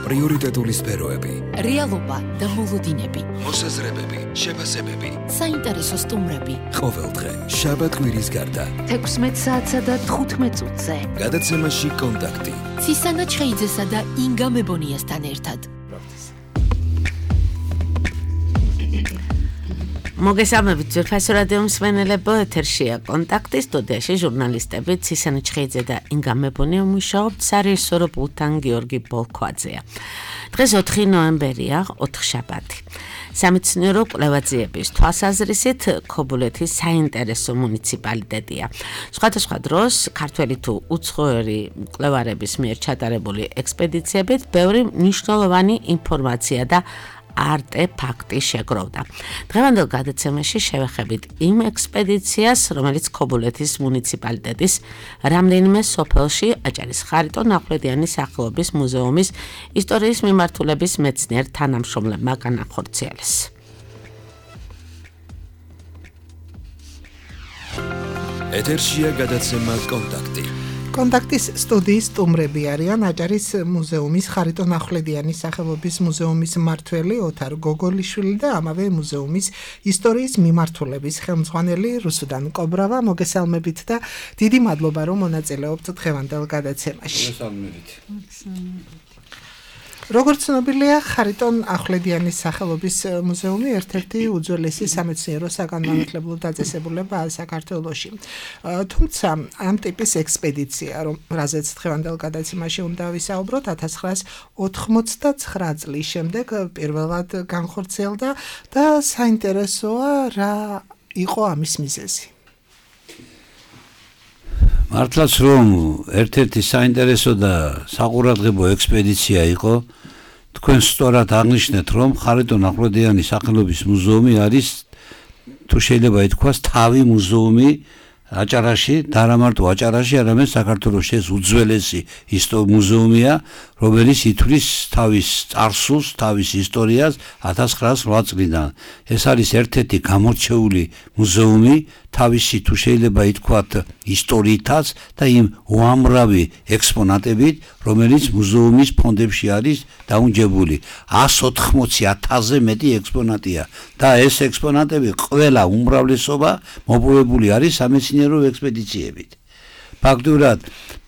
პრიორიტეტული სფეროები, რეალობა და მოლოდინები, მოსაზრებები, შეფასებები, საინტერესო სტუმრები. ყოველდღე შაბათ-კვირის გარდა 16 საათსა და 15 წუთზე. გადაცემაში კონტაქტი. ცისანა ჩხეიძესა და ინგა მებონიასთან ერთად. მოგესალმებით ძვირფასო რადიო მსმენელებო, ეთერშია კონტაქტი, სტუდიაში ჟურნალისტები ცისანა ჩხეიძე და ინგა მებონია მუშაობთ სარეჟისორო პულტთან გიორგი ბოლქვაძეა. დღეს 4 ნოემბერია, 4 შაბათი. სამეცნიერო კვლევაძიების თვალსაზრისით ქობულეთის საინტერესო მუნიციპალიტეტია. სხვადასხვა დროს ქართველი თუ უცხოური მკვლევარების მიერ ჩატარებული ექსპედიციებით ბევრი მნიშვნელოვანი ინფორმაცია და არტეფაქტი შეგროვდა. დღევანდელ გადაცემაში შევეხებით იმ ექსპედიციას, რომელიც ქობულეთის მუნიციპალიტეტის რამდენიმე სოფელში აჭარის ხარიტონ ახვლედიანის სახელობის მუზეუმის ისტორიის მიმართულების მეცნიერ თანამშრომლებმა განახორციელეს. ეთერშია გადაცემა კონტაქტი. კონტაქტის სტუდიის სტუმრები არიან აჭარის მუზეუმის ხარიტონ ახვლედიანის სახელობის მუზეუმის მმართველი ოთარ გოგოლიშვილი და ამავე მუზეუმის ისტორიის მიმართულების ხელმძღვანელი რუსუდან კობრავა. მოგესალმებით და დიდი მადლობა რომ მონაწილეობთ დღევანდელ გადაცემაში. მოგესალმებით. როგორც ცნობილია, ხარიტონ ახვლედიანის სახელობის მუზეუმი ერთ-ერთი უძველესი სამეცნიერო საგანმანათლებლო დაწესებულებაა საქართველოში. თუმცა ამ ტიპის ექსპედიცია, რაზეც დღევანდელ გადაცემაში უნდა ვისაუბროთ, 1989 წლის შემდეგ პირველად განხორციელდა და საინტერესოა რა იყო ამის მიზეზი. მართლაც რომ ერთ-ერთი საინტერესო და საყურადღებო ექსპედიცია იყო, თქვენ სწორად აღნიშნეთ, რომ ხარიტონ ახვლედიანის სახელობის მუზეუმი არის, თუ შეიძლება ითქვას, თავი მუზეუმი აჭარაში, და არა მარტო აჭარაში, არამედ საქართველოში ეს უძველესი მუზეუმია, რომელიც ითვლის თავის წარსულს, თავის ისტორიას 1908 წლიდან. ეს არის ერთ-ერთი გამორჩეული მუზეუმი თავისი, თუ შეიძლება ითქვათ, ისტორიითაც და იმ უამრავი ექსპონატებით, რომელიც მუზეუმის ფონდებში არის დაუნჯებული. 180,000-ზე მეტი ექსპონატია და ეს ექსპონატები ყველა უმრავლესობა მოპოვებული არის სამეცნიერო ექსპედიციებით. ფაქტურად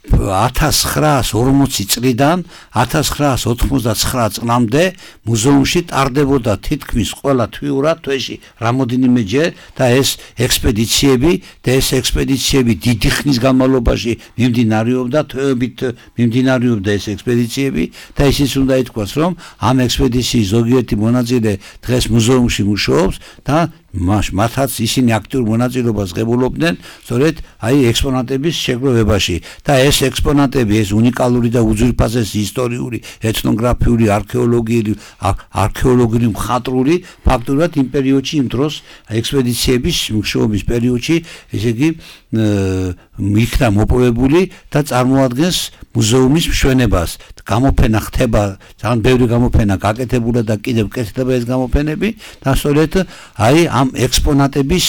1940 წლიდან 1999 წლამდე მუზეუმში ტარდებოდა თითქმის ყველა თვიურად თვეში რამოდენიმეჯერ და ეს ექსპედიციები დიდი ხნის განმავლობაში მიმდინარეობდა, თვეებით მიმდინარეობდა ეს ექსპედიციები და ისიც უნდა ითქვას, რომ ამ ექსპედიციის ზოგიერთი მონაწილე დღეს მუზეუმში მუშაობს და მათაც ისინი აქტიურ მონაწილეობას ღებულობდნენ სწორედ ექსპონატების შეგროვებაში და ეს ექსპონატები, ეს უნიკალური და უძვირფასესი ისტორიული, ეთნოგრაფიული, არქეოლოგიური მხატვრული ფაქტურად იმ პერიოდში, იმ დროს ექსპედიციების მუშაობის პერიოდში, ესე იგი იქნა მოპოვებული და წარმოადგენს მუზეუმის მშვენებას. გამოფენა ხდება, ძალიან ბევრი გამოფენა გაკეთებულა და კიდევ კეთდება ეს გამოფენები და სწორედ ამ ექსპონატების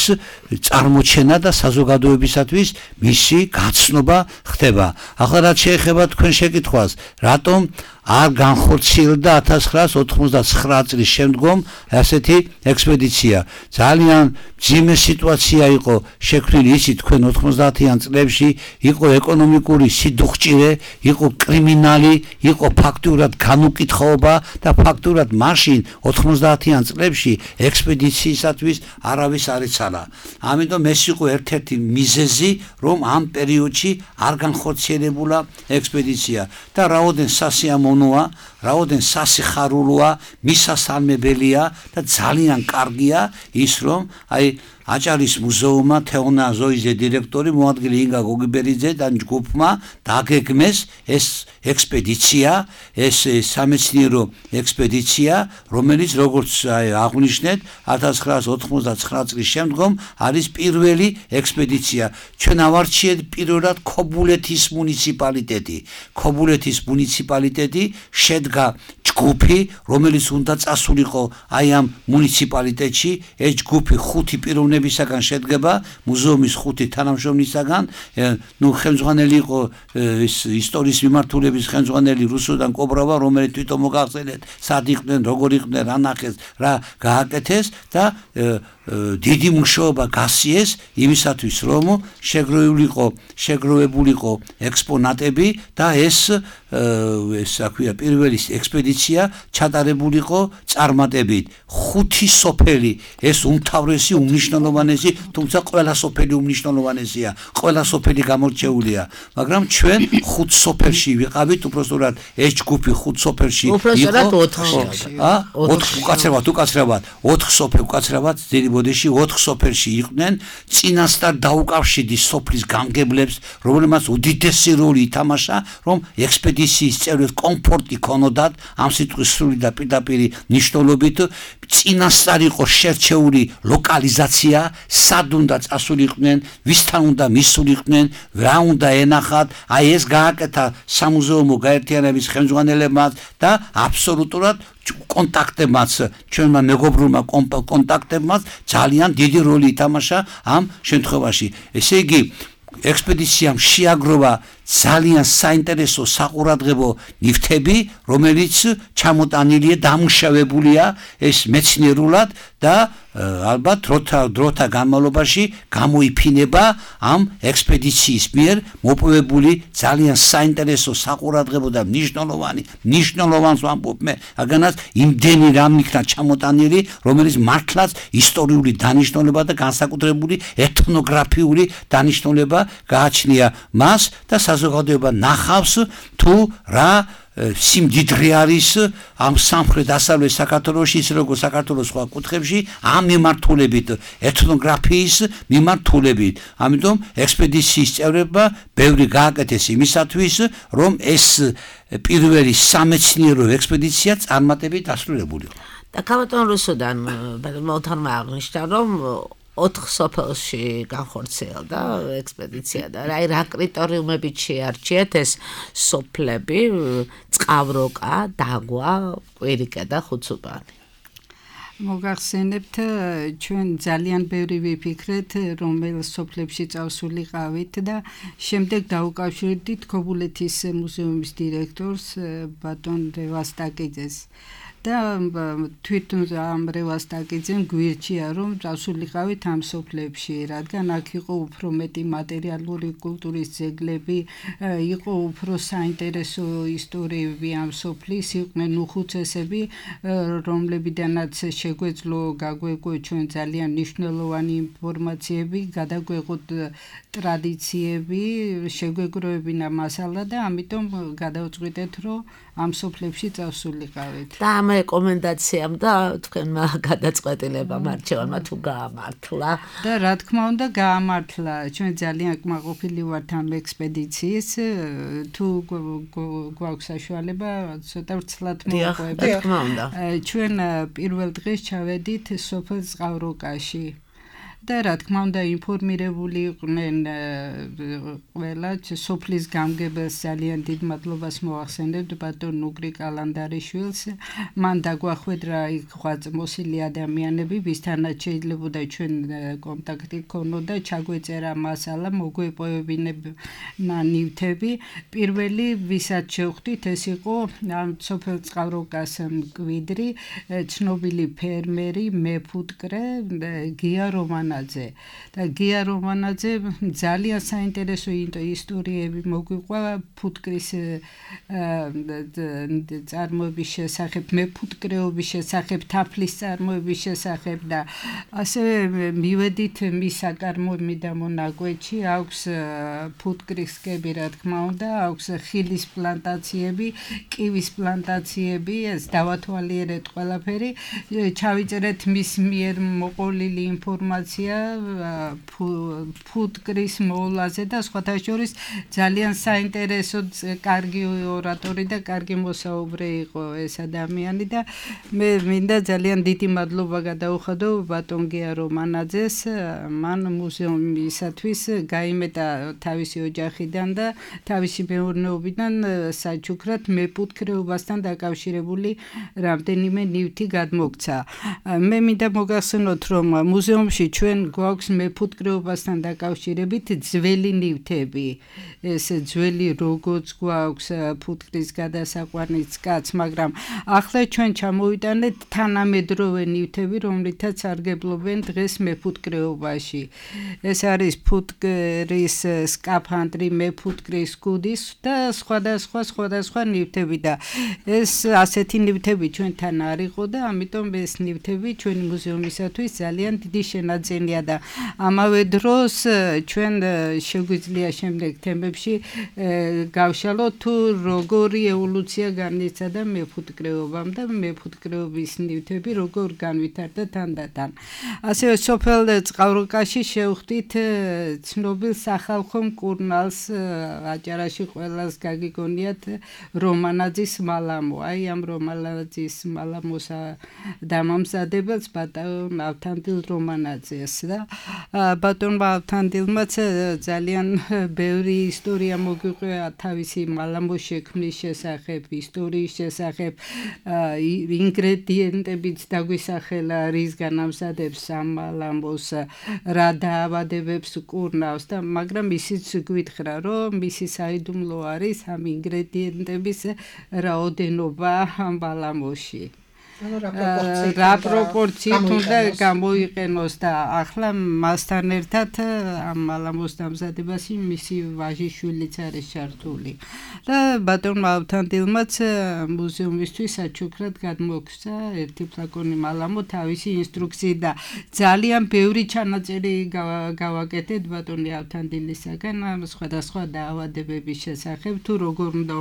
წარმოჩენა და საზოგადოებისათვის მისი გაცნობა ხდება. ახლა რაც შეეხება თქვენ შეკითხვას, რატომ არ განხორციელდა 1999 წლის შემდგომ ასეთი ექსპედიცია. ძალიან მძიმე სიტუაცია იყო შექმნილი, იცით, თქვენ 90-იან წლებში იყო ეკონომიკური სიდუხჭირე, იყო კრიმინალი, იყო ფაქტურად განუკითხაობა და ფაქტურად მაშინ 90-იან წლებში ექსპედიციისათვის არავის არ იცალა. ამიტომ ეს იყო ერთ-ერთი მიზეზი, რომ ამ პერიოდში არ განხორციელებულა ექსპედიცია და რაოდენ სასიამოვნოა, რაოდენ სასიხარულოა, მისასალმებელია და ძალიან კარგია ის, რომ აჭარის მუზეუმმა თეონა ზოიზე დირექტორი მოადგილე ინგა გოგიბერიძე და ჯგუფმა დაგეგმეს ეს ექსპედიცია, ეს სამეცნიერო ექსპედიცია, რომელიც როგორც აღნიშნეთ 1999 წლის შემდგომ არის პირველი ექსპედიცია. ჩვენ ავარჩიეთ პირველად ქობულეთის მუნიციპალიტეტი. ქობულეთის მუნიციპალიტეტი შედგა ჯგუფი, რომელიც უნდა წასულიყო აი ამ მუნიციპალიტეტში, ეს ჯგუფი 5 პიროვნებისაგან შედგება, მუზეუმის 5 თანამშრომლისაგან, ხელმძღვანელი იყო ისტორიის მიმართულების ხელმძღვანელი რუსუდან კობრავა, რომელიც თვითონ მოგახსენეთ, სად იყვნენ, როგორ იყვნენ, რა ნახეს, რა გააკეთეს და დიდი მუშაობა გასიეს იმისათვის, რომ შეგროვებულიყო ექსპონატები და ეს აქვია პირველი ექსპედიცია ჩატარებულიყო წარმატებით. 5 სოფელი, ეს უმთავრესი, უმნიშვნელოვანესი, თუმცა ყველა სოფელი უმნიშვნელოვანესია, ყველა სოფელი გამორჩეულია, მაგრამ ჩვენ 5 სოფელში ვიყავით, უпростоრად ეს ჯგუფი 5 სოფელში იყო. უпростоრად 4-ში. 4 უკაცრავად ბოდეში 4 სოფელში იყვნენ, წინასწარ დაუკავშირდი სოფლის გამგებლებს, რომელმაც უდიდესი როლი ითამაშა, რომ ექსპედიციის წევრებს კომფორტი ქონოდათ, ამ სიტყვის სრული და პირდაპირი ნიშნულობით, წინასწარ იყო შერჩეული ლოკალიზაცია, სად უნდა წასულიყვნენ, ვისთან უნდა მისულიყვნენ, რა უნდა ენახათ, აი ეს გააკეთა სამუზეუმო გაერთიანების ხელმძღვანელებმა და აბსოლუტურად კონტაქტებმაც, ჩვენმა მეგობრულმა კონტაქტებმაც ძალიან დიდი როლი ითამაშა ამ შემთხვევაში. ესე იგი, ექსპედიციამ შეაგროვა ძალიან საინტერესო საყურადღებო ნივთები, რომელიც ჩამოტანილია, დამუშავებულია ეს მეცნიერულად და ალბათ დროთა განმავლობაში გამოიფინება ამ ექსპედიციის მიერ მოპოვებული ძალიან საინტერესო საყურადღებო და მნიშვნელოვანს ვამბობ მე, აგანაც იმდენი რამ იქნა ჩამოტანილი, რომელიც მართლაც ისტორიული დანიშნულება და განსაკუთრებული ეთნოგრაფიული დანიშნულება გააჩნია მას და საზოგადოება ნახავს თუ რა სიმდიდრე არის ამ სამხრეთ-დასავლეთ საქართველოში, ის როგორც საქართველოს სხვა კუთხეებში, ამ მიმართულებით, ეთნოგრაფიის მიმართულებით. ამიტომ ექსპედიციის წევრებმა ბევრი გააკეთეს იმისათვის, რომ ეს პირველი სამეცნიერო ექსპედიცია წარმატებით დასრულებულიყო. და ქალბატონ რუსუდან მოთანმა აღნიშნა, რომ 4 სოფელში განხორციელდა ექსპედიცია და რა კრიტერიუმებით შეარჩიეთ ეს სოფლები, წყავროკა, დაგვა, კვირიკა და ხუცუბანი. მოგახსენებთ, ჩვენ ძალიან ბევრი ვიფიქრეთ, რომელ სოფლებში წავსულიყავით და შემდეგ დაუკავშირდით ქობულეთის მუზეუმის დირექტორს ბატონ რევასტაკიძეს. და თვითონ ამ რევასტაკიძემ გვირჩია, რომ წავსულიყავით ამ სოფლებში, რადგან აქ იყო უფრო მეტი მატერიალური კულტურის ძეგლები, იყო უფრო საინტერესო ისტორიები ამ სოფლის, იყვნენ უხუცესები, რომლებიდანაც შეგვეძლო გაგვეგო ჩვენ ძალიან მნიშვნელოვანი ინფორმაციები, გადაგვეღოთ ტრადიციები, შეგვეგროვებინა მასალა და ამიტომ გადავწყვიტეთ, რომ ამ სოფლებში წავსულიყავით. და ამ რეკომენდაციამ და თქვენმა გადაწყვეტილებამ არჩევანმა თუ გაამართლა და რა თქმა უნდა გაამართლა. ჩვენ ძალიან კმაყოფილი ვართ ამ ექსპედიციის, თუ გვაქვს საშუალება ცოტა ვრცლად მოვყვებით. რა თქმა უნდა. ჩვენ პირველ დღეს ჩავედით სოფელ წყავროკაში. და რა თქმა უნდა ინფორმირებული იყვნენ ყველა სოფლის გამგებელს ძალიან დიდ მადლობას მოახსენებთ ბატონ ნუგრი კალანდარიშვილს მან დაგვახვედრა იქ ღვაწმოსილი ადამიანები ვისთანაც შეიძლებოდა ჩვენ კონტაქტი ქონოდა ჩაგვეწერა მასალა მოგვეპოვებინა ნივთები პირველი ვისაც შევხვდით ეს იყო სოფელ წყავროკას მკვიდრი ცნობილი ფერმერი მეფუტკრე გია რომანაძე და გია რომანაძე ძალიან საინტერესო ისტორიები მოგვიყვა ფუტკრის წარმოების შესახებ მეფუტკრეობის შესახებ თაფლის წარმოების შესახებ და ასევე მივედით მის საკარმოები და მონაკვეთში აქვს ფუტკრისკები რა თქმა უნდა აქვს ხილის პლანტაციები კივის პლანტაციები ეს დავათვალიერეთ ყველაფერი ჩავიწერეთ მის მიერ მოყოლილი ინფორმაცია ინფორმაცია ფუტკრის მოვლაზე და სხვათა შორის ძალიან საინტერესო კარგი ორატორი და კარგი მოსაუბრე იყო ეს ადამიანი და მე მინდა ძალიან დიდი მადლობა გადაუხადო ბატონ გია რომანაძეს მან მუზეუმისათვის გაიმეტა თავისი ოჯახიდან და თავისი მეურნეობიდან საჩუქრად მეფუტკრეობასთან დაკავშირებული რამდენიმე ნივთი გადმოგცა. მე მინდა მოგახსენოთ, რომ მუზეუმში ჩვენ გვაქვს მეფუტკრეობასთან დაკავშირებით ძველი ნივთები. ეს ძველი როგოც გვაქვს ფუტკრის გადასაყვანიც კაც, მაგრამ ახლა ჩვენ ჩამოვიტანეთ თანამედროვე ნივთები, რომლითაც სარგებლობენ დღეს მეფუტკრეობაში. ეს არის ფუტკრის სკაფანდრი, მეფუტკრის კუდის და სხვადასხვა ნივთები და ეს ასეთი ნივთები ჩვენთან არ იყო და ამიტომ ეს ნივთები ჩვენი მუზეუმისათვის ძალიან დიდი შენაძენია და ამავე დროს ჩვენ შეგვიძლია შემდეგ თემებში გავშალოთ თუ როგორი ევოლუცია განიცადა მეფუტკრეობამ და მეფუტკრეობის ნივთები როგორ განვითარდა თანდათან. ასევე სოფელ წყალროკაში შევხვდით ცნობილ სახალხო მკურნალს აჭარაში ყველას გაგიგონიათ რომანაძის მალამო. აი ამ რომანაძის მალამოს დამამზადებელს ბატონ ავთანდილ რომანაძეს და ბატონ ავთანდილმაც ძალიან ბევრი ისტორია მოგვიყვია თავისი მალამოს შექმნის შესახებ, ისტორიის შესახებ, ინგრედიენტებიც დაგვისახელა, რისგან ამზადებს ამ მალამოს, რა დაავადებებს კურნავს და მაგრამ ისიც გვითხრა, რომ მისი საიდუმლო არის ამ ინგრედიენტების რაოდენობა ამ მალამოში. რა პროპორციით უნდა გამოიყენოს და ახლა მასთან ერთად ამ მალამოს დამზადებაში მისი ვაჟიშვილიც არის ჩართული. და ბატონმა ავთანდილმაც მუზეუმისთვის საჩუქრად გადმოგცა ერთი ფლაკონი მალამო თავისი ინსტრუქციით და ძალიან ბევრი ჩანაწერი გავაკეთეთ ბატონი ავთანდილისაგან სხვადასხვა დაავადებების შესახებ თუ როგორ უნდა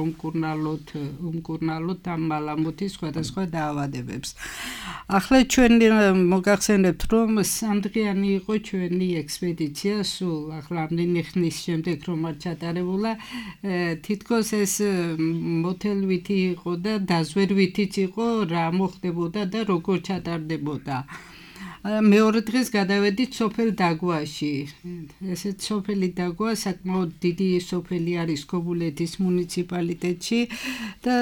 უმკურნალოთ ამ მალამოთის სხვადასხვა დაავადებებს. ახლა ჩვენ მოგახსენებთ, რომ სამდღიანი იყო ჩვენი ექსპედიცია, სულ ახლა ამდენი ხნის შემდეგ რომ არ ჩატარებულა, თითქოს ეს მოთელვითი იყო და დაზვერვითიც იყო, რა მოხდებოდა და როგორ ჩატარდებოდა. მეორე დღეს გადავედით სოფელ დაგვაში. ესეც სოფელი დაგვა საკმაოდ დიდი სოფელი არის ქობულეთის მუნიციპალიტეტში და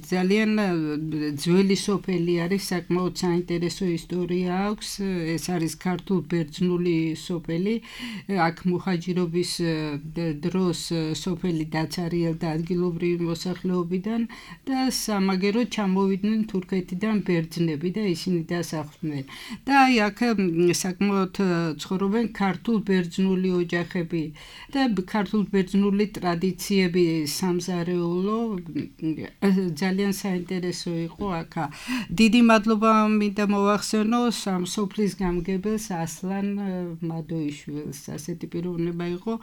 ძალიან ძველი სოფელი არის, საკმაოდ საინტერესო ისტორია აქვს. ეს არის ქართულ-ბერძნული სოფელი. აქ მუხაჯირობის დროს სოფელი დაცარიელდა ადგილობრივი მოსახლეობიდან და სამაგეროდ ჩამოვიდნენ თურქეთიდან ბერძნები და ისინი დასახლდნენ. და აქ საკმაოდ ცხოვრობენ ქართულ-ბერძნული ოჯახები და ქართულ-ბერძნული ტრადიციები სამზარეულო ძალიან საინტერესო იყო აქ. დიდი მადლობა მინდა მოვახსენო ამ სოფლის გამგებელს ასლან მადოიშვილს. ასეთი პიროვნება იყო,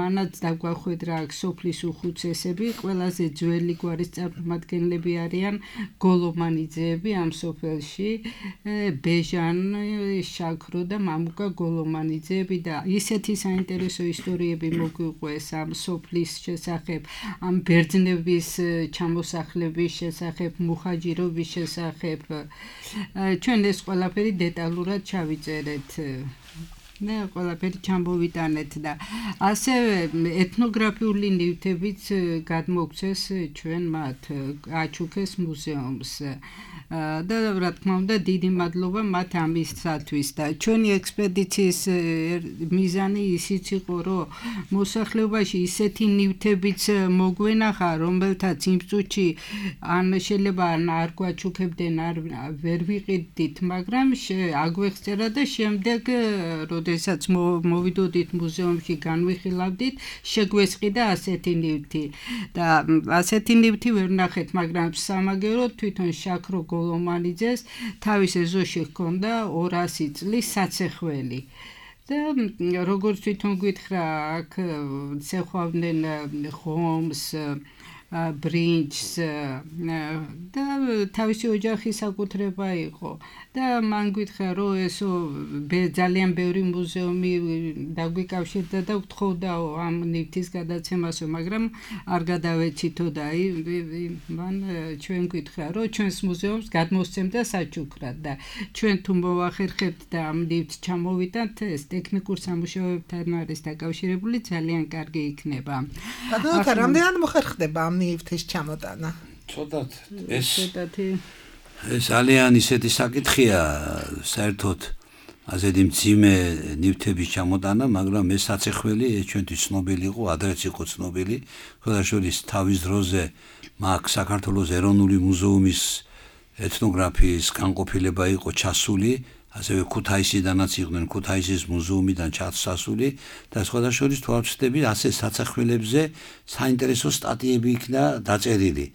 მანაც დაგვახვედრა აქ სოფლის უხუცესები, ყველაზე ძველი გვარის წარმომადგენლები არიან გოლომანიძეები ამ სოფელში, ბეჟან შაქრო და მამუკა გოლომანიძეები და ისეთი საინტერესო ისტორიები მოგვიყვეს ამ სოფლის შესახებ, ამ ბერძნების ჩამოსახლების შესახებ, მუხაჯირობის შესახებ. ჩვენ ეს ყველაფერი დეტალურად ჩავიწერეთ. მე ყველაფერი ჩამოვიტანეთ და ასევე ეთნოგრაფიული ნივთებიც გადმოგცეს ჩვენ მათ აჩუქეს მუზეუმს. და რა თქმა უნდა დიდი მადლობა მათ ამისათვის და ჩვენი ექსპედიციის მიზანი ისიც იყო, რომ მოსახლეობაში ისეთი ნივთებიც მოგვენახა, რომელთაც იმ წუთში ან შეიძლება არ გვაჩუქებდნენ, ვერ ვიყიდით, მაგრამ აგვეხსწერა და შემდეგ როდესაც მოვიდოდით მუზეუმში განვიხილავდით, შეგვესყიდა ასეთი ნივთი და ასეთი ნივთი ვერ ნახეთ, მაგრამ სამაგეროდ თვითონ შაქრო გოლომანიძეს თავის ეზოში ჰქონდა 200 წლის საცეხველი. და როგორც თვითონ გითხრა, აქ ცეხვავდნენ ხომს, ბრინჯს და თავისი ოჯახის საკუთრება იყო და მან გითხრა რომ ესო ძალიან ბევრი მუზეუმი დაგვიკავშირდა და ვთხოვდაო ამ ნივთის გადაცემასო მაგრამ არ გადავეცითო და მან ჩვენ გითხრა რომ ჩვენს მუზეუმს გადმოსცემდა საჩუქრად და ჩვენ თუ მოვახერხებთ და ამ ნივთს ჩამოვიტანთ ეს ტექნიკურ სამუშაოებთან არის დაკავშირებული ძალიან კარგი იქნება. ბატონო, რამდენად მოხერხდება ამ ნივთის ჩამოტანა? ცოტათ ეს ძალიან ისეთი საკითხია საერთოდ ასეთი მძიმე ნივთების ჩამოტანა, მაგრამ ეს საცეხველი ჩვენთვის ცნობილი იყო, ადრეც იყო ცნობილი, ხოდაშორის თავის დროზე მაგ საქართველოს ეროვნული მუზეუმის ეთნოგრაფიის განყოფილება იყო ჩასული, ასევე ქუთაისიდანაც იყვნენ ქუთაისის მუზეუმიდან ჩასული და ხოდაშორის თვალწდები ასე საცეხველებზე საინტერესო სტატიები იქნა დაწერილი.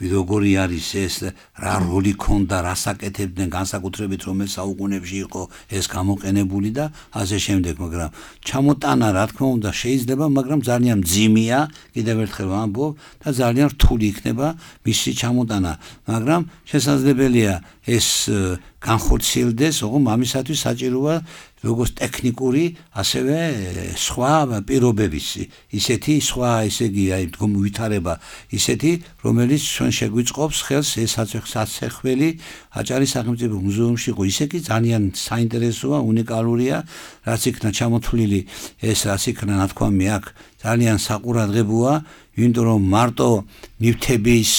როგორი არის ეს, რა როლი ქონდა, რა საკეთებდნენ განსაკუთრებით რომელ საუკუნეებში იყო ეს გამოყენებული და ასე შემდეგ, მაგრამ ჩამოტანა რა თქმა უნდა შეიძლება, მაგრამ ძალიან მძიმეა, კიდევ ერთხელ ვამბობ და ძალიან რთული იქნება მისი ჩამოტანა, მაგრამ შესაძლებელია ეს განხორციელდეს, ოღონდ ამისათვის საჭიროა როგორც ტექნიკური, ასევე სხვა პირობების, ისეთი სხვა, ესე იგი, ვითარება ისეთი, რომელიც ჩვენ შეგვიწყობს ხელს ეს საცეხველი აჭარის სახელმწიფო მუზეუმში იყო, ისე კი ძალიან საინტერესოა, უნიკალურია, რაც იქნა ჩამოთვლილი, ეს რაც იქნა ნათქვამი აქ, ძალიან საყურადღებოა, იმიტომ რომ მარტო ნივთების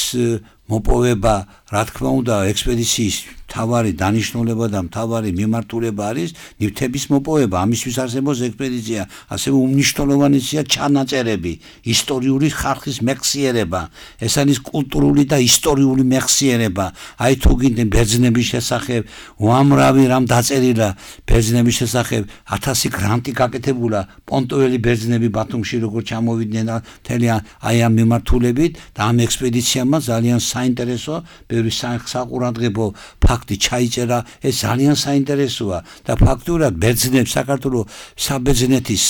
მოპოვება, რა თქმა უნდა, ექსპედიციის მთავარი დანიშნულება და მთავარი მიმართულება არის ნივთების მოპოვება, ამისთვის არსებობს ექსპედიცია, ასევე უმნიშვნელოვანესია ჩანაწერები, ისტორიული ხალხის მეხსიერება, ეს არის კულტურული და ისტორიული მეხსიერება. აი თუ გინდენ ბერძნების შესახებ, უამრავი რამ დაწერილა ბერძნების შესახებ, 1000 გრანტი გაკეთებულა, პონტოველი ბერძნები ბათუმში როგორ ჩამოვიდნენ მთელი აი ამ მიმართულებით და ამ ექსპედიციამ ძალიან საინტერესო, ბევრი საყურადღებო ფაქტი ჩაიწერა, ეს ძალიან საინტერესოა და ფაქტურად ბერძნებს საქართველოს საბერძნეთის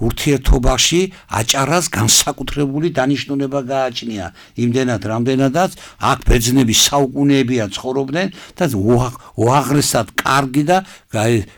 ურთიერთობაში აჭარას განსაკუთრებული დანიშნულება გააჩნია. იმდენად, რამდენადაც აქ ბერძნები საუკუნეებია ცხოვრობდნენ და უაღრესად კარგი და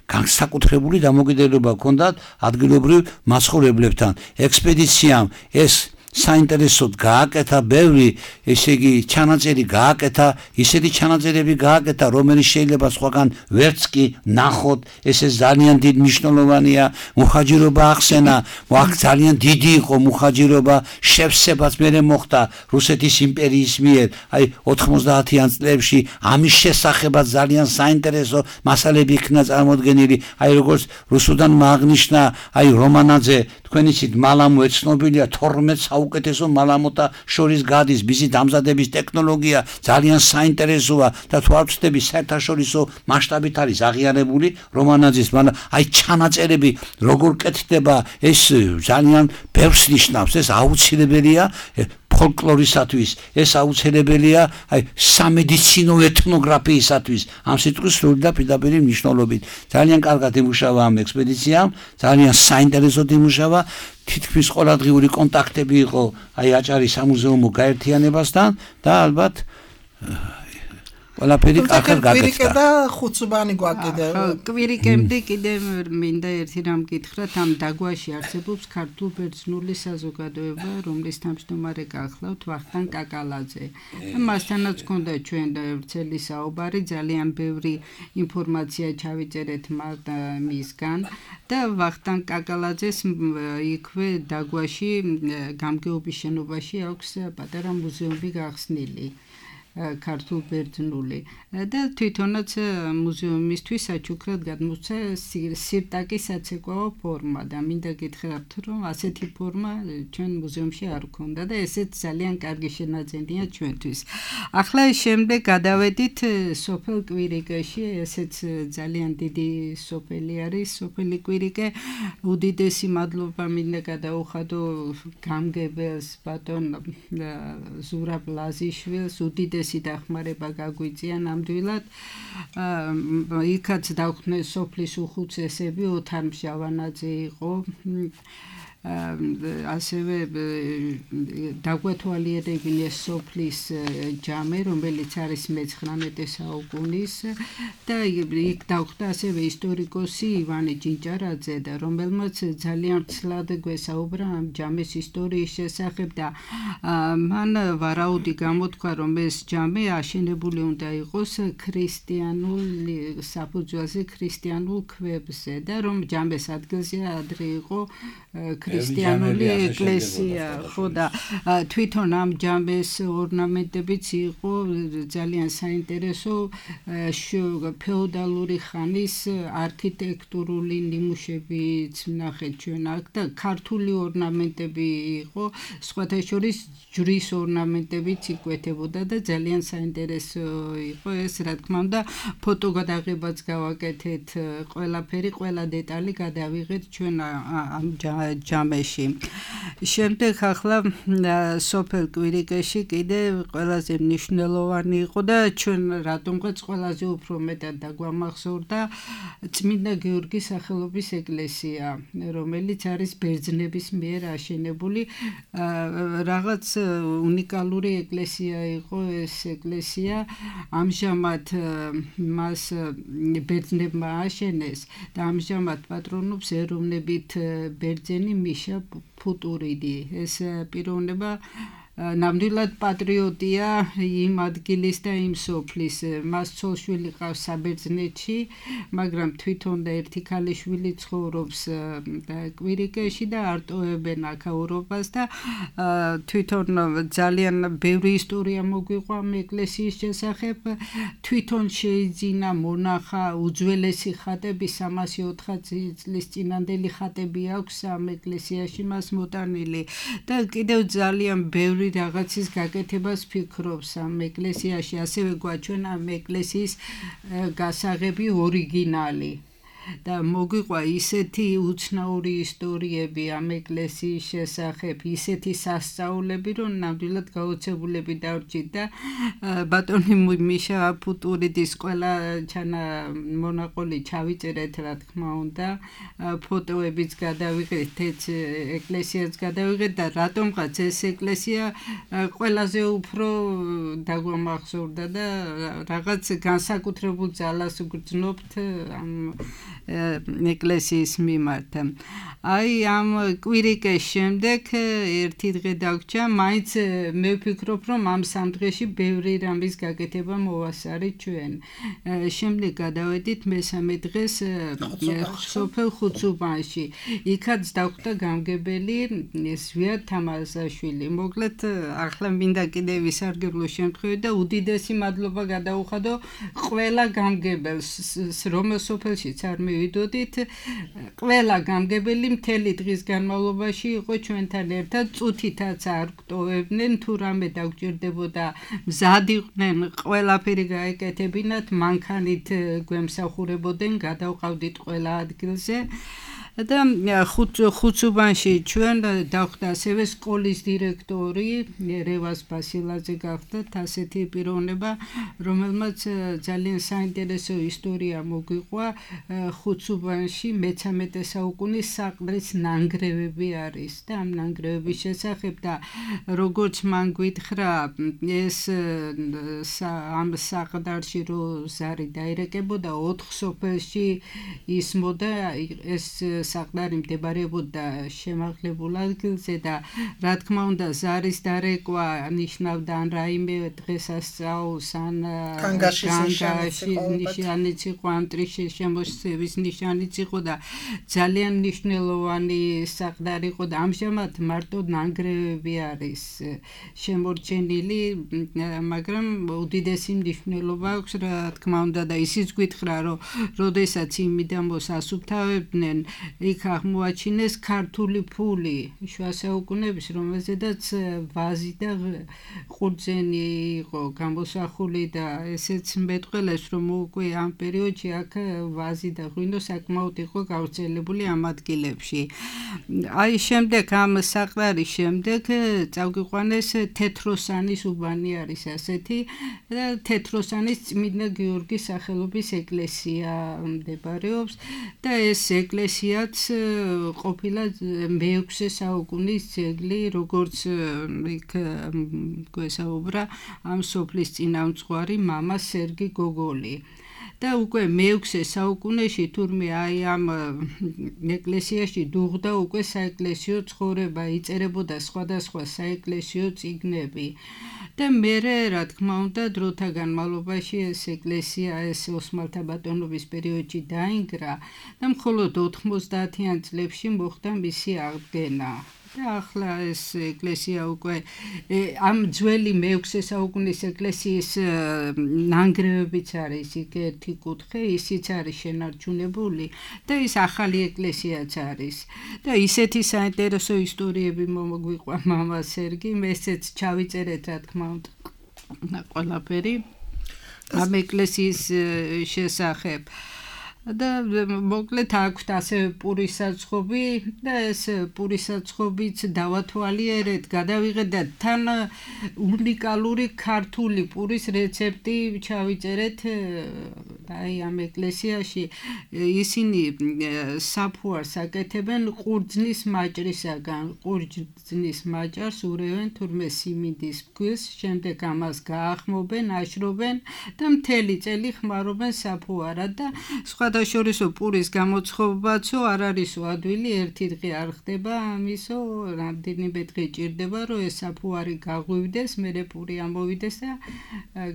განსაკუთრებული დამოკიდებულება ჰქონდათ ადგილობრივ მაცხოვრებლებთან. ექსპედიციამ ეს საინტერესოდ გააკეთა ბევრი, ესე იგი ჩანაწერი გააკეთა, ისეთი ჩანაწერები გააკეთა, რომელიც შეიძლება სხვაგან ვერც კი ნახოთ, ეს ძალიან დიდ მნიშვნელოვანია, მუხაჯირობა ახსენა, აქ ძალიან დიდი იყო მუხაჯირობა, შევსებაც მერე მოხდა რუსეთის იმპერიის მიერ, აი 90-იან წლებში ამის შესახებაც ძალიან საინტერესო მასალები იქნა წარმოდგენილი, აი როგორც რუსუდან აღნიშნა, აი რომანაძე, თქვენ იცით, მალამო ეცნობილია 12 უკეთესო მალამოთა შორის გადის, მისი დამზადების ტექნოლოგია ძალიან საინტერესოა და თვალწდები საერთაშორისო მასშტაბით არის აღიარებული რომანაძის, მაგრამ აი ჩანაწერები როგორ კეთდება, ეს ძალიან ბევრს ნიშნავს, ეს აუცილებელია ფოლკლორისათვის, ეს აუცილებელია აი სამედიცინო ეთნოგრაფიისათვის, ამ სიტყვის სრული და პირდაპირი მნიშვნელობით. ძალიან კარგად იმუშავა ამ ექსპედიციამ, ძალიან საინტერესოდ იმუშავა, თითქმის ყოველდღიური კონტაქტები იყო აი აჭარის სამუზეუმო გაერთიანებასთან და ალბათ ყველაფერი კარგად გაკეთდა. და ხუთსუბანი გვაკეთდა. კვირიკემდე კიდევ მინდა ერთი რამ გითხრათ, ამ დაგვაში არსებობს ქართულ-ბერძნული საზოგადოება, რომლის თავმჯდომარე გახლავთ ვახტანგ კაკალაძე. მასთანაც ჰქონდა ჩვენ ვრცელი საუბარი, ძალიან ბევრი ინფორმაცია ჩავიწერეთ მისგან და ვახტანგ კაკალაძეს იქვე დაგვაში გამგეობის შენობაში აქვს პატარა მუზეუმი გახსნილი. ქართულ-ბერძნული და თვითონაც მუზეუმისთვის საჩუქრად გადმოსცა სირტაკის საცეკვაო ფორმა და მინდა გითხრათ, რომ ასეთი ფორმა ჩვენ მუზეუმში არ ქონდა და ესეც ძალიან კარგი შენაძენია ჩვენთვის. ახლა შემდეგ გადავედით სოფელ კვირიკეში, ესეც ძალიან დიდი სოფელი არის, სოფელი კვირიკე. უდიდესი მადლობა მინდა გადაუხადო გამგებელს ბატონ ზურაბ ლაზიშვილს, უდიდესი დახმარება გაგვიწია ნამდვილად. იქაც დავხდნენ სოფლის უხუცესები, ოთარ მჟავანაძე იყო ასევე დაგვეთვალიერებინეს სოფლის ჯამე, რომელიც არის მე-19 საუკუნის და იქ დავხდა ასევე ისტორიკოსი ივანე ჯინჭარაძე და რომელმაც ძალიან ცლად გვესაუბრა ამ ჯამეს ისტორიის შესახებ და მან ვარაუდი გამოთქვა, რომ ეს ჯამე აშენებული უნდა იყოს ქრისტიანულ საფუძველზე, ქრისტიანულ ქვებზე და რომ ჯამეს ადგილზე ადრე იყო ქრისტიანული ეკლესია, ხო და თვითონ ამ ჯამეს ორნამენტებიც იყო ძალიან საინტერესო ფეოდალური ხანის არქიტექტურული ნიმუშებიც ვნახეთ ჩვენ აქ და ქართული ორნამენტები იყო, სხვათა შორის ჯვრის ორნამენტებიც იკვეთებოდა და ძალიან საინტერესო იყო ეს, რა თქმა უნდა, ფოტოგადაღებაც გავაკეთეთ, ყველაფერი, ყველა დეტალი გადავიღეთ ჩვენ ამ ჯამეში. შემდეგ ახლა სოფელ კვირიკეში კიდე ყველაზე მნიშვნელოვანი იყო და ჩვენ რატომღაც ყველაზე უფრო მეტად დაგვამახსოვრდა წმინდა გიორგის სახელობის ეკლესია, რომელიც არის ბერძნების მიერ აშენებული. რაღაც უნიკალური ეკლესია იყო ეს ეკლესია. ამჟამად მას ბერძნებმა აშენეს და ამჟამად პატრონობს ეროვნებით ბერძენი მიშა ფუტურიდი. ეს პიროვნება ნამდვილად პატრიოტია იმ ადგილის და იმ სოფლის. მას ცოლ-შვილი ყავს საბერძნეთში, მაგრამ თვითონ და ერთი ქალიშვილი ცხოვრობს კვირიკეში და არტოებენ აქაურობას და თვითონ ძალიან ბევრი ისტორია მოგვიყვა ამ ეკლესიის შესახებ. თვითონ შეიძინა მონახა უძველესი ხატები, 304 წლის წინანდელი ხატები აქვს ამ ეკლესიაში მას მოტანილი და კიდევ ძალიან ბევრი რაღაცის გაკეთებას ფიქრობს ამ ეკლესიაში, ასევე გვაჩვენა ამ ეკლესიის გასაღები ორიგინალი. და მოგვიყვა ისეთი უცნაური ისტორიები ამ ეკლესიის შესახებ, ისეთი სასწაულები, რომ ნამდვილად გაოცებულები დავრჩით და ბატონი მიშა ფუტურიდის ყველა მონაყოლი ჩავიწერეთ, რა თქმა უნდა, ფოტოებიც გადავიღეთ, ეკლესიაც გადავიღეთ და რატომღაც ეს ეკლესია ყველაზე უფრო დაგვამახსოვრდა და რაღაც განსაკუთრებულ ძალას ვგრძნობთ ამ ეკლესიის მიმართ. აი ამ კვირიკეს შემდეგ ერთი დღე დაგვრჩა, მაინც მე ვფიქრობ, რომ ამ სამ დღეში ბევრი რამის გაკეთება მოვასწარით ჩვენ. შემდეგ გადავედით მესამე დღეს სოფელ ხუცუბანში. იქაც დაგხვდა გამგებელი ზვიად თამაზაშვილი. მოკლედ ახლა მინდა კიდე ვისარგებლო შემთხვევით და უდიდესი მადლობა გადაუხადო ყველა გამგებელს, რომელ სოფელშიც არ მივიდოდით, ყველა გამგებელი მთელი დღის განმავლობაში იყო ჩვენთან ერთად, წუთითაც არ გვტოვებდნენ, თუ რამე დაგჭირდებოდა მზად იყვნენ ყველაფერი გაეკეთებინათ, მანქანით გვემსახურებოდნენ, გადავყავდით ყველა ადგილზე. და ხუცუბანში ჩვენ დავხდა ასევე სკოლის დირექტორი რევას ბასილაძე გახდათ, ასეთი პიროვნება, რომელმაც ძალიან საინტერესო ისტორია მოგვიყვა. ხუცუბანში მე-13 საუკუნის საყდრის ნანგრევები არის და ამ ნანგრევების შესახებ და როგორც მან გითხრა, ეს ამ საყდარში რო ზარი დაირეკებოდა 4 სოფელში ისმოდა, ეს საყდარი მდებარეობდა შემაღლებულ ადგილზე და რა თქმა უნდა ზარის დარეკვა ნიშნავდა ან რაიმე დღესასწაულს, ან კანგაშის ნიშანიც იყო, ან ტრიშის შემოსევის ნიშანიც იყო და ძალიან მნიშვნელოვანი საყდარი იყო და ამჟამად მარტო ნანგრევები არის შემორჩენილი, მაგრამ უდიდესი მნიშვნელობა აქვს, რა თქმა უნდა და ისიც გითხრა, რომ როდესაც იმიდამოს ასუფთავებდნენ, იქ აღმოაჩინეს ქართული ფული შუა საუკუნეების, რომელზედაც ვაზი და ყურძენი იყო გამოსახული და ესეც მეტყველებს, რომ უკვე ამ პერიოდში აქ ვაზი და ღვინო საკმაოდ იყო გავრცელებული ამ ადგილებში. აი შემდეგ ამ საყდარის შემდეგ წავგიყვანეს თეთროსანის უბანი არის ასეთი და თეთროსანის წმინდა გიორგის სახელობის ეკლესია მდებარეობს და ეს ეკლესია ძეგლიაც ყოფილა მე-6 საუკუნის ძეგლი, როგორც იქ გვესაუბრა ამ სოფლის წინამძღვარი მამა სერგი გოგოლი. და უკვე მე-6 საუკუნეში თურმე აი ამ ეკლესიაში დუღდა უკვე საეკლესიო ცხოვრება, იწერებოდა სხვადასხვა საეკლესიო წიგნები. და მერე, რა თქმა უნდა, დროთა განმავლობაში ეს ეკლესია ეს ოსმალთა ბატონობის პერიოდში დაინგრა და მხოლოდ 90-იან წლებში მოხდა მისი აღდგენა. და ახლა ეს ეკლესია უკვე ამ ძველი მე-6 საუკუნის ეკლესიის ნანგრევებიც არის იქ ერთი კუთხე, ისიც არის შენარჩუნებული და ის ახალი ეკლესიაც არის. და ისეთი საინტერესო ისტორიები მომგვიყვა მამა სერგი, ესეც ჩავიწერეთ, რა თქმა უნდა, ყველაფერი ამ ეკლესიის შესახებ. და მოკლედ აქვთ ასევე პურის საწყობი და ეს პურის საწყობიც დავათვალიერეთ, გადავიღეთ თან უნიკალური ქართული პურის რეცეპტი ჩავიწერეთ აი ამ ეკლესიაში. ისინი საფუარს აკეთებენ ყურძნის მაჭრისაგან, ყურძნის მაჭარს ურევენ თურმე სიმინდის ფქვილს, შემდეგ ამას გაახმობენ, აშრობენ და მთელი წელი ხმარობენ საფუარად და სხვადასხვა პურის გამოცხობაცო არ არისო ადვილი, ერთი დღე არ ხდება ამისო, რამდენიმე დღე ჭირდება, რომ ეს საფუარი გაღვივდეს, მერე პური ამოვიდეს და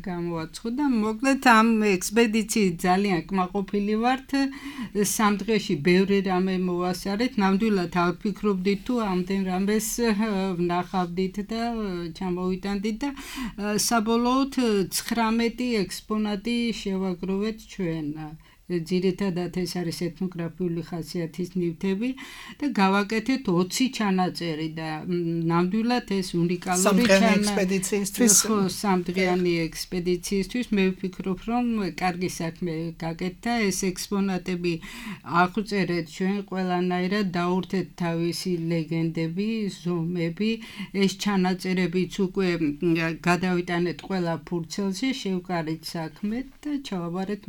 გამოაცხო და მოკლედ ამ ექსპედიციით ძალიან კმაყოფილი ვართ. 3 დღეში ბევრი რამე მოვასწარეთ, ნამდვილად არ ვფიქრობდით თუ ამდენ რამეს ვნახავდით და ჩამოვიტანდით და საბოლოოდ 19 ექსპონატი შევაგროვეთ ჩვენ. ძირითადად ეს არის ეთნოგრაფიული ხასიათის ნივთები და გავაკეთეთ 20 ჩანაწერი და ნამდვილად ეს უნიკალური სამდღიანი ექსპედიციისთვის მე ვფიქრობ, რომ კარგი საქმე გაკეთდა. ეს ექსპონატები აღვწერეთ ჩვენ ყველანაირად, დაურთეთ თავისი ლეგენდები, ზომები, ეს ჩანაწერებიც უკვე გადავიტანეთ ყველა ფურცელში, შევკარით საქმე და ჩავაბარეთ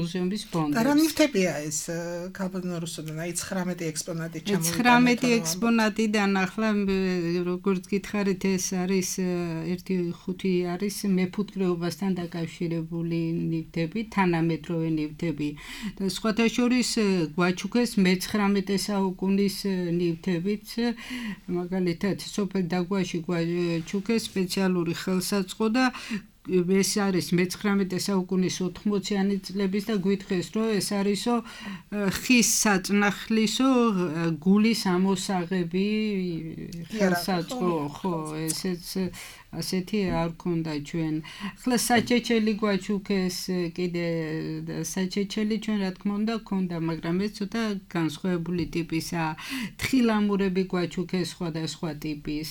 მუზეუმის ფონდს. და რა ნივთებია ეს ქაბანორუსოდან? აი 19 ექსპონატი ჩამოვიტანეთ. 19 ექსპონატიდან ახლა როგორც გითხარით, ეს არის 1-5 არის მეფუტკრეობასთან დაკავშირებული ნივთები, თანამედროვე ნივთები. და სხვათა შორის გვაჩუქეს მე-19 საუკუნის ნივთებიც, მაგალითად სოფელ დაგვაში გვაჩუქეს სპეციალური ხელსაწყო და ეს არის მე-19 საუკუნის 80-იანი წლების და გვითხრეს, რომ ეს არისო ხის საწნახლისო გულის ამოსაღები ხელსაწყო, ხო, ესეც ასეთი არ ქონდა ჩვენ. ახლა საჩეჩელი გვაჩუქეს, კიდე საჩეჩელი ჩვენ რა თქმა უნდა ქონდა, მაგრამ ეს ცოტა განსხვავებული ტიპისა. თხილამურები გვაჩუქეს სხვადასხვა ტიპის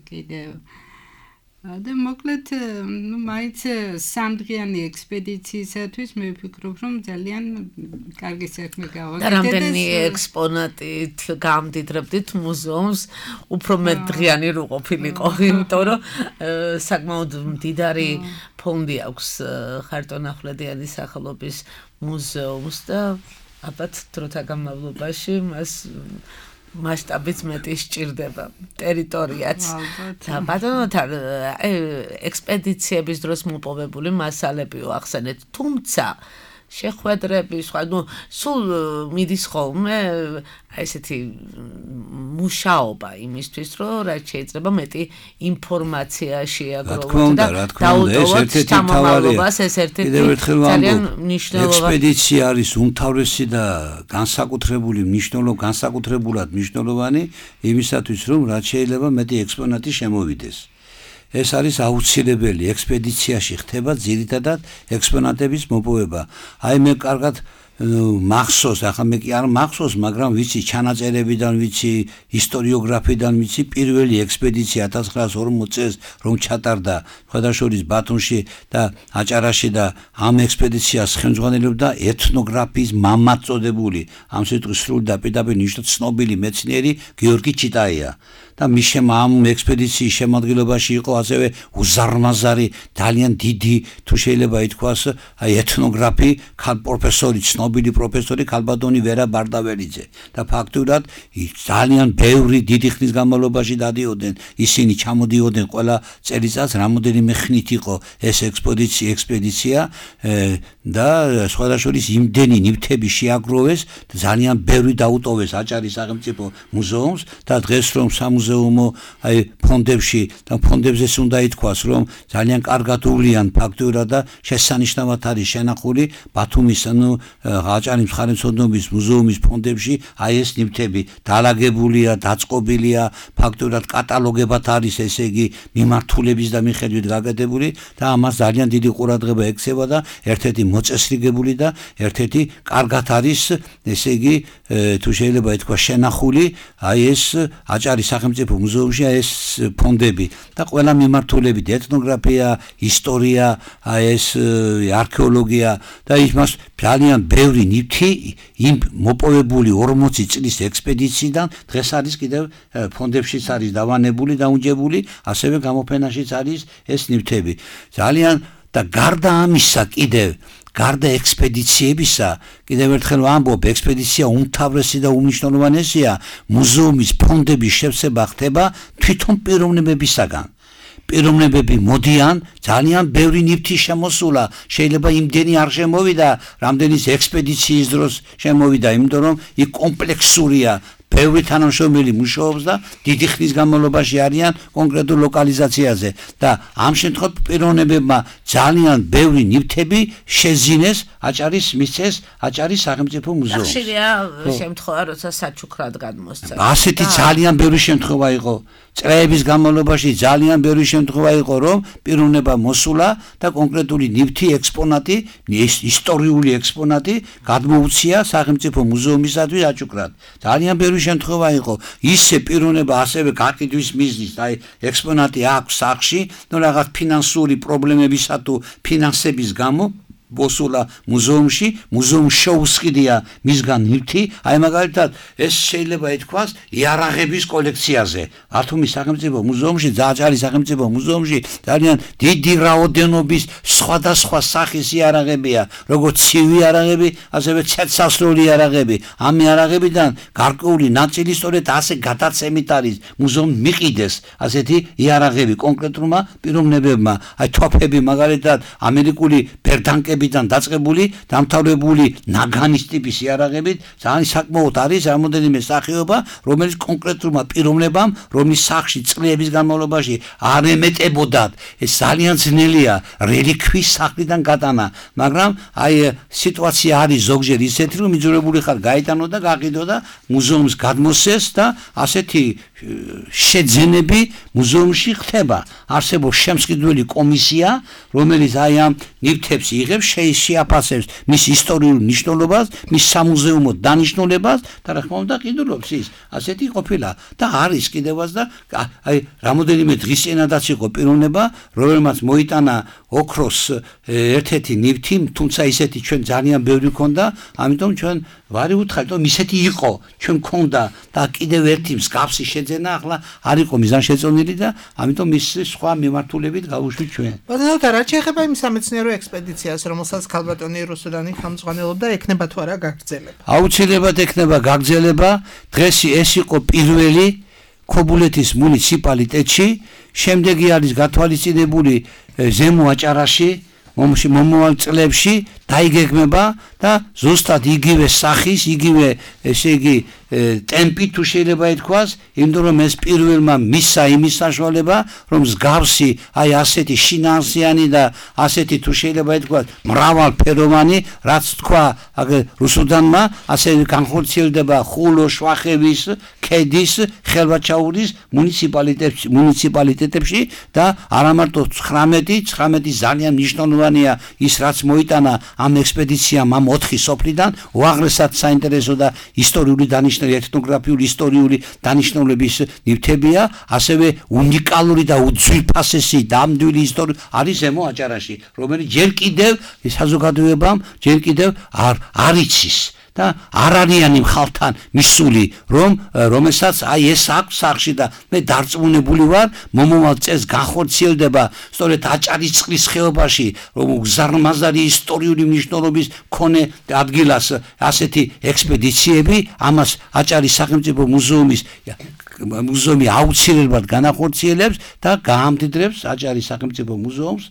კიდე და მოკლედ მაინც 3 დღიანი ექსპედიციისათვის მე ვფიქრობ, რომ ძალიან კარგი საქმე გავაკეთეთ. და რამდენი ექსპონატით გამდიდრებდით მუზეუმს, უფრო მეტ დღიანი რო ყოფილიყო, იმიტომ რომ საკმაოდ მდიდარი ფონდი აქვს ხარტონ-ახვლედიანის სახელობის მუზეუმს და ალბათ დროთა განმავლობაში მას მასშტაბიც მეტი სჭირდება, ტერიტორიაც. და ბატონოთან ექსპედიციების დროს მოპოვებული მასალებიო ახსენეთ, თუმცა შეხვედრები, სხვა, სულ მიდის ხოლმე ესეთი მუშაობა იმისთვის, რომ რაც შეიძლება მეტი ინფორმაცია შეაგროვოთ და დაუტოვოთ სამომავლობას, ეს ერთ-ერთი ძალიან მნიშვნელოვანი ექსპედიცია არის უმთავრესი და განსაკუთრებულად მნიშვნელოვანი იმისათვის, რომ რაც შეიძლება მეტი ექსპონატი შემოვიდეს. ეს არის აუცილებელი, ექსპედიციაში ხდება ძირითადად ექსპონატების მოპოვება. აი მე კარგად მახსოვს, ახლა მე კი არ მახსოვს, მაგრამ ვიცი ჩანაწერებიდან, ვიცი ისტორიოგრაფიდან, ვიცი პირველი ექსპედიცია 1940 წელს რომ ჩატარდა ხოდაშორის ბათუმში და აჭარაში და ამ ექსპედიციას ხელმძღვანელობდა ეთნოგრაფიის მამად წოდებული, ამ სიტყვის სრული და პირდაპირ ნიშნად ცნობილი მეცნიერი გიორგი ჩიტაია. და მის ამ ექსპედიციის შემადგენლობაში იყო ასევე უზარმაზარი ძალიან დიდი თუ შეიძლება ითქვას აი ეთნოგრაფი პროფესორი ცნობილი პროფესორი ქალბატონი ვერა ბარდაველიძე და ფაქტურად ძალიან ბევრი დიდი ხნის განმავლობაში დადიოდნენ ისინი ჩამოდიოდნენ ყველა წელიწადს რამოდენიმე ხნით იყო ეს ექსპედიცია და სხვადასხვა იმდენი ნივთები შეაგროვეს და ძალიან ბევრი დაუტოვეს აჭარის სახელმწიფო მუზეუმს და დღეს რომ სამუზეუმო აი ფონდებში და ფონდებზეც უნდა ითქვას რომ ძალიან კარგად უვლიან ფაქტურად და შესანიშნავად არის შენახული ბათუმის აჭარის მხარეთმცოდნეობის მუზეუმის ფონდებში აი ეს ნივთები დაალაგებულია დაწყობილია ფაქტურად კატალოგებად არის ესე იგი მიმართულების და მიხედვით გაკეთებული და ამას ძალიან დიდი ყურადღება ექცევა და ერთ-ერთი მოწესრიგებული და ერთ-ერთი კარგად არის ესე იგი თუ შეიძლება ითქვას შენახული აი ეს აჭარის სახელმწიფო მუზეუმში აი ეს ფონდები და ყველა მიმართულებით ეთნოგრაფია, ისტორია, აი ეს არქეოლოგია და იმას ძალიან ბევრი ნივთი იმ მოპოვებული 40 წლის ექსპედიციიდან დღეს არის კიდევ ფონდებშიც არის დავანებული, დაუნჯებული, ასევე გამოფენაშიც არის ეს ნივთები. ძალიან და გარდა ამისა კიდევ გარდა ექსპედიციებისა, კიდევ ერთხელ ვამბობ, ექსპედიცია უმთავრესი და უმნიშვნელოვანესია მუზეუმის ფონდების შევსება ხდება თვითონ პიროვნებებისაგან. პიროვნებები მოდიან, ძალიან ბევრი ნივთი შემოსულა, შეიძლება იმდენი არ შემოვიდა, რამდენის ექსპედიციის დროს შემოვიდა, იმიტომ რომ იქ კომპლექსურია ბევრი თანამშრომელი მუშაობს და დიდი ხნის განმავლობაში არიან კონკრეტულ ლოკალიზაციაზე და ამ შემთხვევით პიროვნებებმა ძალიან ბევრი ნივთები შეზინეს აჭარის მისცეს აჭარის სახელმწიფო მუზეუმს. ხშირია შემთხვევა, როცა საჩუქრად გადმოსცა. ასეთი ძალიან ბევრი შემთხვევა იყო. წლების განმავლობაში ძალიან ბევრი შემთხვევა იყო, რომ პიროვნება მოსულა და კონკრეტული ნივთი ექსპონატი, ისტორიული ექსპონატი გადმოუცია სახელმწიფო მუზეუმისათვის აჭუქრად. ძალიან ბევრი შემთხვევა იყო. ისე პიროვნება ასევე გაკითხვის მიზნით, აი ექსპონატი აქვს სახში, ნუ რაღაც ფინანსური პრობლემებისა თუ ფინანსების გამო მოსულა მუზეუმში, მუზეუმ შეუსყიდია მისგან ნივთი, აი მაგალითად ეს შეიძლება ითქვას იარაღების კოლექციაზე. ბათუმის სახელმწიფო მუზეუმში, აჭარის სახელმწიფო მუზეუმში ძალიან დიდი რაოდენობის სხვადასხვა სახის იარაღებია, როგორც ცივი იარაღები, ასევე ცეცხლსასროლი იარაღები. ამ იარაღებიდან გარკვეული ნაწილი სწორედ ასე გადაცემით არის მუზეუმ მიყიდეს ასეთი იარაღები კონკრეტულმა პიროვნებებმა. აი თოფები მაგალითად ამერიკული ბერდანკები ბიდან დაწყებული დამთავრებული ნაგანის ტიპის იარაღებით ძალიან საკმაოდ არის რამოდენიმე სახეობა რომელიც კონკრეტულმა პიროვნებამ რომლის სახში წლების განმავლობაში არ ემეტებოდათ ეს ძალიან ძნელია რელიქვის სახლიდან გატანა მაგრამ აი სიტუაცია არის ზოგჯერ ისეთი რომ მიძურებული ხარ გაიტანო და გაყიდო და მუზეუმს გადმოსცეს და ასეთი შეძენები მუზეუმში ხდება არსებობს შემსყიდველი კომისია რომელიც აი ამ ნივთებს იღებს შეაფასებს მის ისტორიულ მნიშვნელობას, მის სამუზეუმო დანიშნულებას და რა თქმა უნდა ყიდულობს ის. ასეთი ყოფილა და არის კიდევაც და აი რამოდენიმე დღის წინადაც იყო პიროვნება, რომელმაც მოიტანა ოქროს ერთ-ერთი ნივთი, თუმცა ისეთი ჩვენ ძალიან ბევრი ქონდა, ამიტომ ჩვენ ვარი უთხარით, რომ ისეთი იყო, ჩვენ ქონდა და კიდევ ერთი მსგავსი შეძენა ახლა არ იყო მიზანშეწონილი და ამიტომ ის სხვა მიმართულებით გავუშვით ჩვენ. ბატონო, რა შეიძლება იმ სამეცნიერო ექსპედიციას, რომელსაც ქალბატონი რუსუდანი ხელმძღვანელობდა, ექნება თუ არა გაგრძელება? აუცილებლად ექნება გაგრძელება. დღეს ეს იყო პირველი ქობულეთის მუნიციპალიტეტში, შემდეგი არის გათვალისწინებული ზემო აჭარაში, მომავალ წლებში დაიგეგმება და ზუსტად იგივე სახის, იგივე ესე იგი ტემპი თუ შეიძლება ითქვას, იმიტომ რომ ეს პირველმა მისცა იმის საშუალება, რომ მსგავსი აი ასეთი შინაარსიანი და ასეთი თუ შეიძლება ითქვას მრავალფეროვანი, რაც თქვა რუსუდანმა, ასე განხორციელდება ხულო, შვახევის, ქედის, ხელვაჩაურის მუნიციპალიტეტებში და არა მარტო 19 ძალიან მნიშვნელოვანია ის რაც მოიტანა ამ ექსპედიციამ ამ 4 სოფლიდან უაღრესად საინტერესო და ისტორიული დანიშნული ეთნოგრაფიული ისტორიული დანიშნულების ნივთებია, ასევე უნიკალური და უძვირფასესი დამდვილი ისტორია არის ზემო აჭარაში, რომელიც ჯერ კიდევ საზოგადოებამ ჯერ კიდევ არ იცის და არარიანი ხალხთან მისული, რომელსაც აი ეს აქვს სახში და მე დარწმუნებული ვარ, მომავალ წელს განხორციელდება სწორედ აჭარისწყლის ხეობაში, რომ გზარმაზარი ისტორიული მნიშვნელობის მქონე ადგილას ასეთი ექსპედიციები, ამას აჭარის სახელმწიფო მუზეუმი აუცილებლად განახორციელებს და გაამდიდრებს აჭარის სახელმწიფო მუზეუმს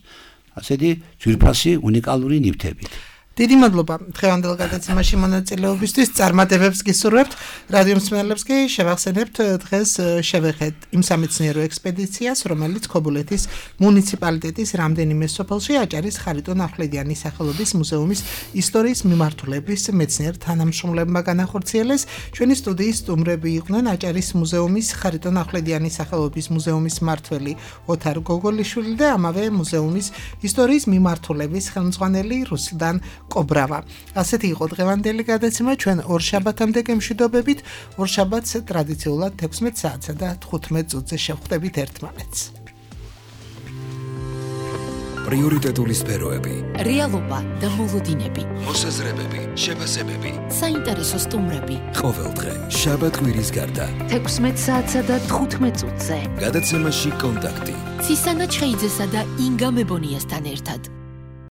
ასეთი ძვირფასი უნიკალური ნივთებით. დიდი მადლობა დღევანდელ გადაცემაში მონაწილეობისთვის, წარმატებებს გისურვებთ. რადიო მსმენელებს კი შევახსენებთ, დღეს შევეხეთ იმ სამეცნიერო ექსპედიციას, რომელიც ქობულეთის მუნიციპალიტეტის რამდენიმე სოფელში აჭარის ხარიტონ ახვლედიანის სახელობის მუზეუმის ისტორიის მიმართულების მეცნიერ თანამშრომლებმა განახორციელეს. ჩვენი სტუდიის სტუმრები იყვნენ აჭარის მუზეუმის ხარიტონ ახვლედიანის სახელობის მუზეუმის მმართველი ოთარ გოგოლიშვილი და ამავე მუზეუმის ისტორიის მიმართულების ხელმძღვანელი რუსლან კობრავა. ასეთი იყო დღევანდელი გადაცემა, ჩვენ ორშაბათამდე გემშვიდობებით, ორშაბათს ტრადიციულად 16 საათსა და 15 წუთზე შევხვდებით ერთმანეთს. პრიორიტეტული სფეროები, რეალობა და მოლოდინები, მოსაზრებები, შეფასებები, საინტერესო სტუმრები. ყოველდღე შაბათ-კვირის გარდა 16 საათსა და 15 წუთზე. გადაცემაში კონტაქტი. ცისანა ჩხეიძესა და ინგა მებონიასთან ერთად.